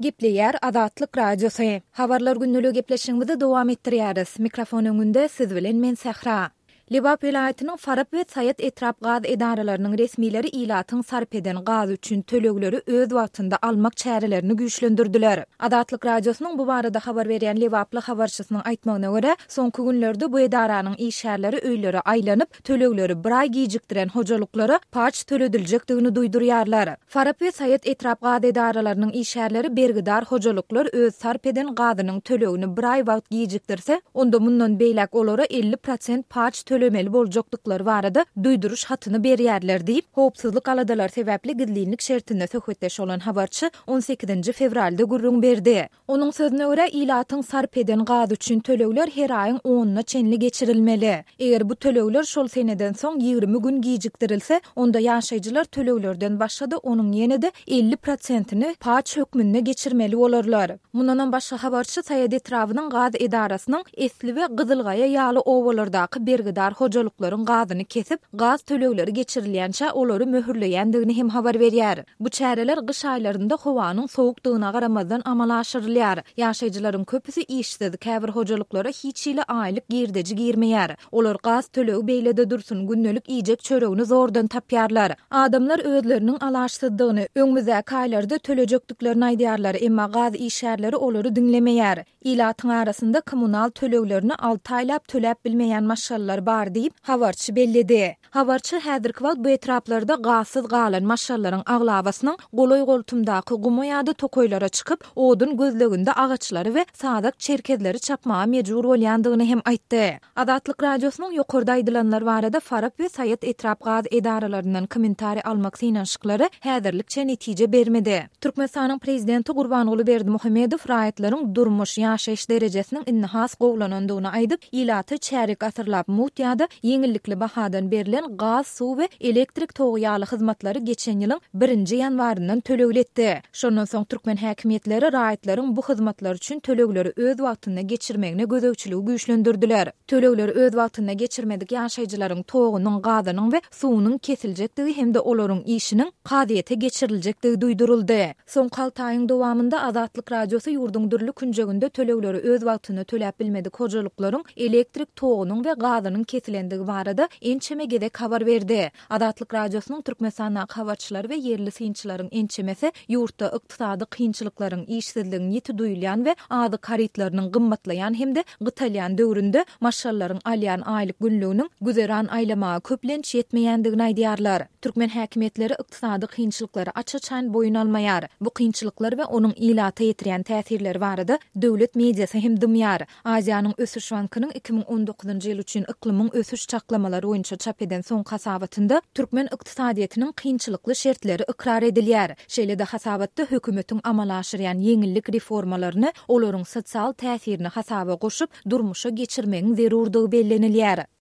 Gepleýär Azatlyk Radiosy. Habarlar gündeligi gepleşigimizi dowam etdirýäris. Mikrofon öňünde siz bilen men Sähra. Lebap welaýatynyň Farap we Saýat etrap gaz edaralarynyň resmileri ilatyň sarp eden gazy üçin tölegleri öz wagtynda almak çärelerini güýçlendirdiler. Azatlyk Radiosynyň bu barada habar berýän lebaply habarçysynyň aýtmagyna görä, soňky günlerde bu edaranyň işgärleri öýlere aýlanyp, tölegleri bir aý gijikdiren hojalyklara paç tölediljekdigini duýdurýarlar. Farap we Saýat etrap gaz edaralarynyň işgärleri bergidar hojalyklar öz sarp eden gazynyň tölegini bir aý wagt gijikdirse, onda mundan beýläk olara 50 prosent paç tölemeli boljakdyklary barada duýduryş hatyny berýärler diýip, howpsuzlyk aladalary sebäpli gizlinlik şertinde söhbetdeş bolan habarçy on sekizinji fewralda gürrüň berdi. Onuň sözüne görä, ilatyň sarp eden gazy üçin tölegler her aýyň onuna çenli geçirilmeli. Eger bu tölegler şol seneden soň 20 gün gijikdirilse, onda ýaşaýjylar töleglerden başga-da onuň ýene-de 50 prosentini paç hökmünde geçirmeli bolarlar. Mundanam başga habarçy Saýat etrabynyň gaz edarasynyň Esli we Gyzylgaýa ýaly obalardaky bergidar hojalyklaryň gazyny kesip, gaz tölegleri geçirilýänçä olary möhürleýändigini hem habar berýär. Bu çäreler gyş aýlarynda howanyň sowukdygyna garamazdan amala aşyrylýar. Ýaşaýjylaryň köpüsi işsiz, käbir hojalyklara hiç hili aýlyk girdeji girmeýär. Olar gaz tölegi beýle-de dursun, gündelik iýjek çöregini zordan tapýarlar. Adamlar özleriniň alaçsyzdygyny, öňümizdäki aýlarda tölejekdiklerini aýdýarlar, emma gaz işgärleri olary diňlemeýär. Ilatyň arasynda kommunal töleglerini alty aýlap töläp bilmeýän maşgalalar bar diýip, habarçy belledi. Habarçy häzirki wagt bu etraplarda gazsyz galan maşgalalaryň aglabasynyň golaý-goltumdaky guma ýa-da tokaýlara çykyp, odun gözleginde agaçlary we sazak çerkezleri çapmaga mejbur bolýandygyny hem aýtdy. Azatlyk Radiosynyň ýokarda aýdylanlar barada Farap we Saýat etrap gaz edaralaryndan kommentariý almak synanyşyklary häzirlikçe netije bermedi. Türkmenistanyň prezidenti Gurbanguly Berdimuhamedow raýatlaryň durmuş, ýaşaýyş derejesiniň indi has gowulanandygyny aýdyp, ilata çärýek asyrlap mugt ýa-da ýeňillikli bahadan berlen gaz, suw we elektrik togy ýaly hyzmatlary geçen ýylyň birinji ýanwaryndan tölegli etdi. Şondan soň türkmen häkimiýetleri raýatlaryň bu hyzmatlar üçin tölegleri öz wagtynda geçirmegine gözegçiligi güýçlendirdiler. Tölegleri öz wagtynda geçirmedik ýaşaýjylaryň togunyň, gazynyň we suwunyň kesiljekdigi hem-de olaryň işiniň kazyýete geçiriljekdigi duýduryldy. Soňky alty aýyň dowamynda Azatlyk Radiosy ýurduň dürli künjeginde tölegleri öz wagtynda töläp bilmedik hojalyklaryň elektrik togunyň we gazynyň kesilendigi barada ençeme gezek habar berdi. Azatlyk Radiosynyň Türkmenistandaky habarçylary we ýerli synçylaryň ençemesi ýurtda ykdysady kynçylyklaryň, işsizligiň ýiti duýulýan we azyk harytlarynyň gymmatlaýan hem-de gytalýan döwründe maşgalalaryň alýan aýlyk günlüginiň güzeran aýlamaga köplenç ýetmeýändigini aýdýarlar. Türkmen häkimiýetleri ykdysady kynçylyklary aç-açan boýun almaýar. Bu kynçylyklar we onuň ilata ýetirýän täsirleri barada döwlet mediasy hem dymýar. Aziýanyň Ösüş bankynyň 2019-njy ýyl üçin yklymyň ösüş çaklamalary boýunça çap eden soňky hasabatynda türkmen ykdysadyýetiniň kynçylykly şertleri ykrar edilýär. Şeýle-de hasabatda hökümetiň amala aşyrýan ýeňillik reformalaryny olaryň sosial täsirini hasaba goşup, durmuşa geçirmegiň zerurdygy bellenilýär.